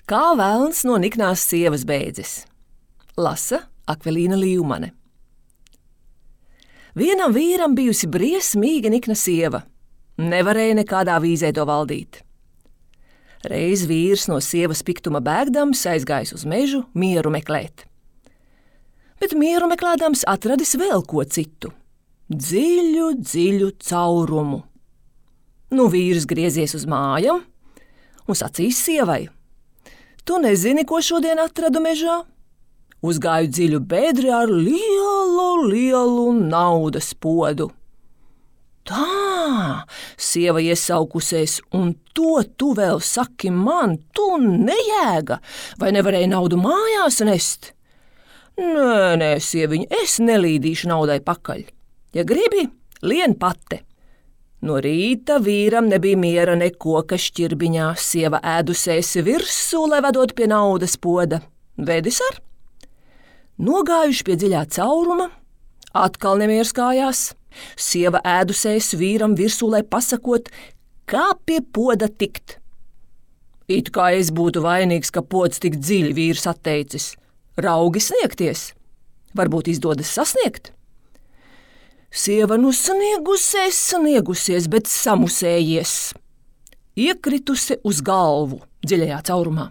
Kā velns no niknās sievas beidzis. Lasa Akvelīna Līvmane. Vienam vīram bijusi briesmīga nikna sieva. Nevarēja nekādā vīzē to valdīt. Reiz vīrs no sievas piktuma bēgdams aizgājis uz mežu mieru meklēt. Bet mieru meklēdams atradis vēl ko citu – dziļu, dziļu caurumu. Vīrs griezies uz mājām un sacīs sievai: Tu nezini, ko šodien atradu mežā? Uzgāju dziļu bedri ar lielu naudas podu. Tā, sieva iesaukusies, un to tu vēl saki man, tu nejēga, vai nevarēji naudu mājās nest? Nē, sieviņa, es nelīdīšu naudai pakaļ. Ja gribi, lien pate. No rīta vīram nebija miera ne koka šķirbiņā, sieva ēdusēs virsū, lai vedot pie naudas poda. Vedis ar? Nogājuši pie dziļā cauruma, atkal nemieras kājās. Sieva ēdusēs vīram virsū, lai pasakot, kā pie poda tikt. It kā es būtu vainīgs, ka pods tik dziļi, vīrs atteicis. Raugi sniegties. Varbūt izdodas sasniegt? Sieva sniegusies, bet samusējies. Iekritusi uz galvu dziļajā caurumā.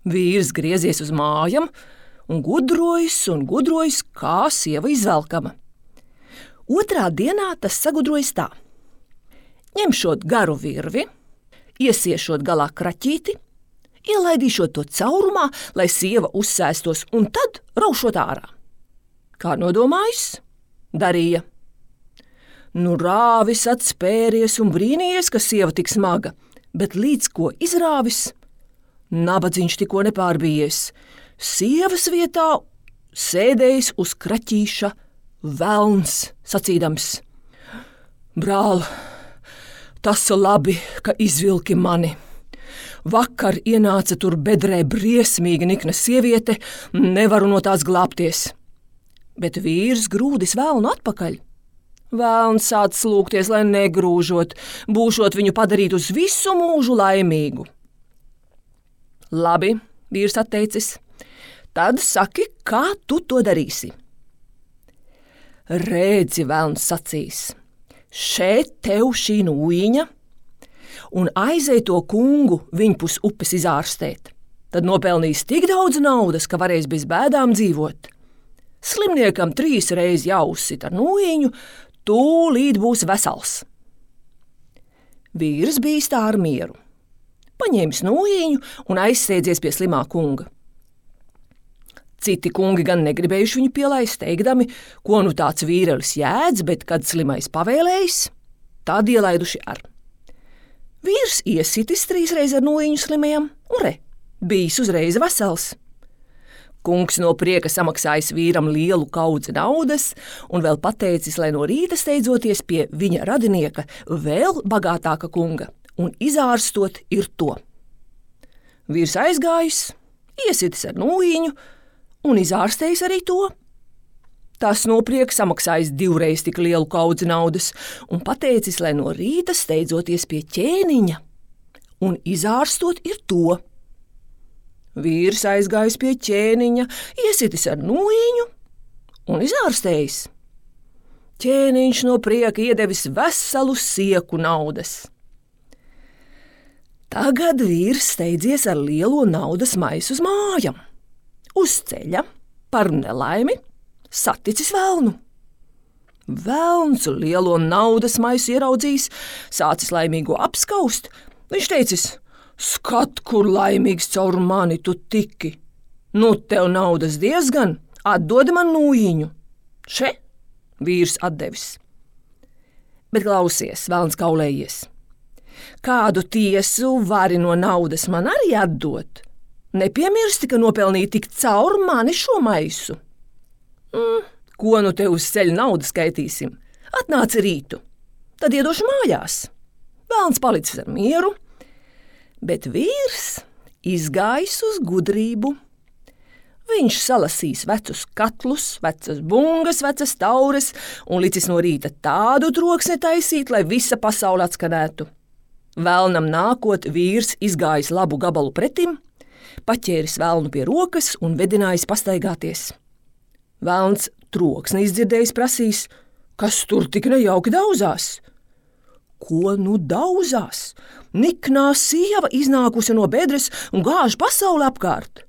Vīrs griezies uz mājām un gudrojas, kā sieva izvelkama. Otrā dienā tas sagudrojas tā. Ņemšot garu virvi, iesiešot galā kraķīti, ielaidīšot to caurumā, lai sieva uzsēstos, un tad raušot ārā. Kā nodomājis? Darīja. Rāvis atspēries un brīnījies, ka sieva tik smaga, bet līdz ko izrāvis, nabadzīņš tikko nepārbijies. Sievas vietā sēdējis uz kraķīša velns, sacīdams: Brāl, tas labi, ka izvilki mani. Vakar ienāca tur bedrē briesmīga nikna sieviete, nevaru no tās glābties. Bet vīrs grūdis velnu atpakaļ. Velns sāc lūgties, lai negrūžot, būšot viņu padarīt uz visu mūžu laimīgu. Labi, vīrs atteicis, tad saki, kā tu to darīsi. Redzi, velns sacīs, šeit tev šī nūjiņa, un aizej to kungu viņpus upes izārstēt. Tad nopelnīs tik daudz naudas, ka varēs bez bēdām dzīvot. Slimniekam 3 reizes jāuzsit ar nūjiņu, tūlīt būs vesels. Vīrs bijis tā ar mieru. Paņēmis nūjiņu un aizsēdzies pie slimā kunga. Citi kungi gan negribējuši viņu pielaist, teikdami, ko tāds vīrelis jēdz, bet kad slimais pavēlējis, tad ielaiduši ar. Vīrs iesitis 3 reizes ar nūjiņu slimajam, un bijis uzreiz vesels. Kungs no prieka samaksājis vīram lielu kaudzi naudas un vēl pateicis, lai no rīta steidzoties pie viņa radinieka vēl bagātāka kunga un izārstot ir to. Vīrs aizgājis, iesitis ar nūjiņu un izārstējis arī to. Tas no prieka samaksājis 2 reizes tik lielu kaudzi naudas un pateicis, lai no rīta steidzoties pie ķēniņa un izārstot ir to. Vīrs aizgājis pie ķēniņa, iesitis ar nūjiņu un izārstējis. Ķēniņš no prieka iedevis veselu sieku naudas. Tagad vīrs steidzies ar lielo naudas maisu uz mājām. Uz ceļa, par nelaimi, saticis velnu. Velns lielo naudas maisu ieraudzījis, sācis laimīgo apskaust. Viņš teicis: Skat, kur laimīgs caur mani tu tiki. Tev naudas diezgan, atdodi man nūjiņu. Še, vīrs atdevis. Bet klausies, velns kaulējies. Kādu tiesu vari no naudas man arī atdot? Nepiemirsti, ka nopelnīji tik caur mani šo maisu. Ko te uz ceļa naudu skaitīsim? Atnāci rītu, tad iedošu mājās. Velns palicis ar mieru, bet vīrs izgājis uz gudrību. Viņš salasīs vecus katlus, vecas bungas, vecas taures un licis no rīta tādu troksni taisīt, lai visa pasaule atskanētu. Velnam nākot, vīrs izgājis labu gabalu pretim, paķēris velnu pie rokas un vedinājis pastaigāties. Velns troksni izdzirdējis prasīs, kas tur tik nejauki dauzās. Ko nu dauzās? Niknā sieva iznākusi no bedres un gāž pasauli apkārt.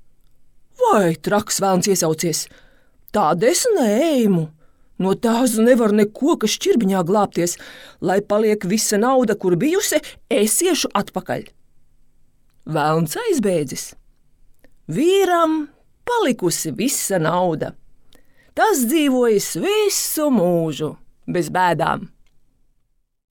Vai traks velns iesaucies? Tāda es neēmu. No tās nevar neko, kas šķirbiņā glābties, lai paliek visa nauda, kur bijusi, es iešu atpakaļ. Velns aizbēdzis. Vīram palikusi visa nauda. Tas dzīvojis visu mūžu bez bēdām.